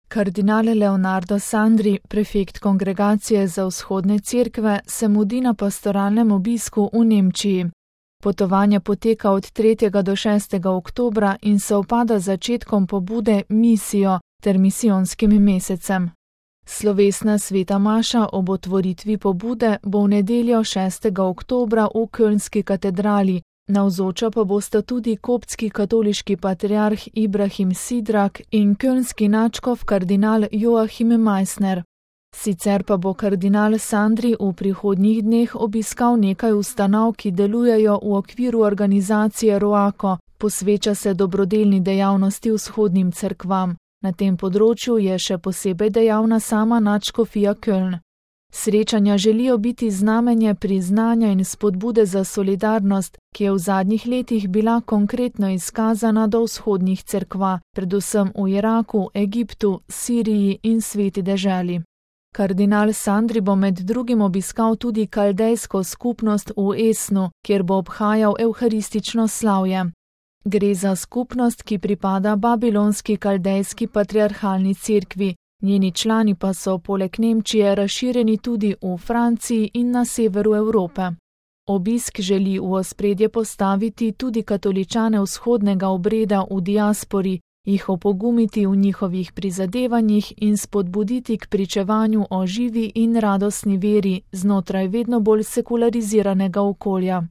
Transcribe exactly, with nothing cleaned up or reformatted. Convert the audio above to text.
Kardinal Leonardo Sandri, prefekt Kongregacije za vzhodne cerkve, se mudi na pastoralnem obisku v Nemčiji. Potovanje poteka od tretjega do šestega oktobra in sovpada z začetkom pobude Misijo ter misijonskim mesecem. Slovesna sveta maša ob otvoritvi pobude bo v nedeljo šestega oktobra v Kölnski katedrali, navzoča pa bosta tudi koptski katoliški patriarh Ibrahim Sidrak in kölnski nadškof kardinal Joachim Meissner. Sicer pa bo kardinal Sandri v prihodnjih dneh obiskal nekaj ustanov, ki delujejo v okviru organizacije Roako, posveča se dobrodelni dejavnosti vzhodnim cerkvam. Na tem področju je še posebej dejavna sama nadškofija Köln. Srečanja želijo biti znamenje priznanja in spodbude za solidarnost, ki je v zadnjih letih bila konkretno izkazana do vzhodnih cerkva, predvsem v Iraku, Egiptu, Siriji in Sveti deželi. Kardinal Sandri bo med drugim obiskal tudi kaldejsko skupnost v Esnu, kjer bo obhajal evharistično slavje. Gre za skupnost, ki pripada babilonski kaldejski patriarhalni cerkvi, njeni člani pa so poleg Nemčije razširjeni tudi v Franciji in na severu Evrope. Obisk želi v ospredje postaviti tudi katoličane vzhodnega obreda v diaspori, jih opogumiti v njihovih prizadevanjih in spodbuditi k pričevanju o živi in radostni veri znotraj vedno bolj sekulariziranega okolja.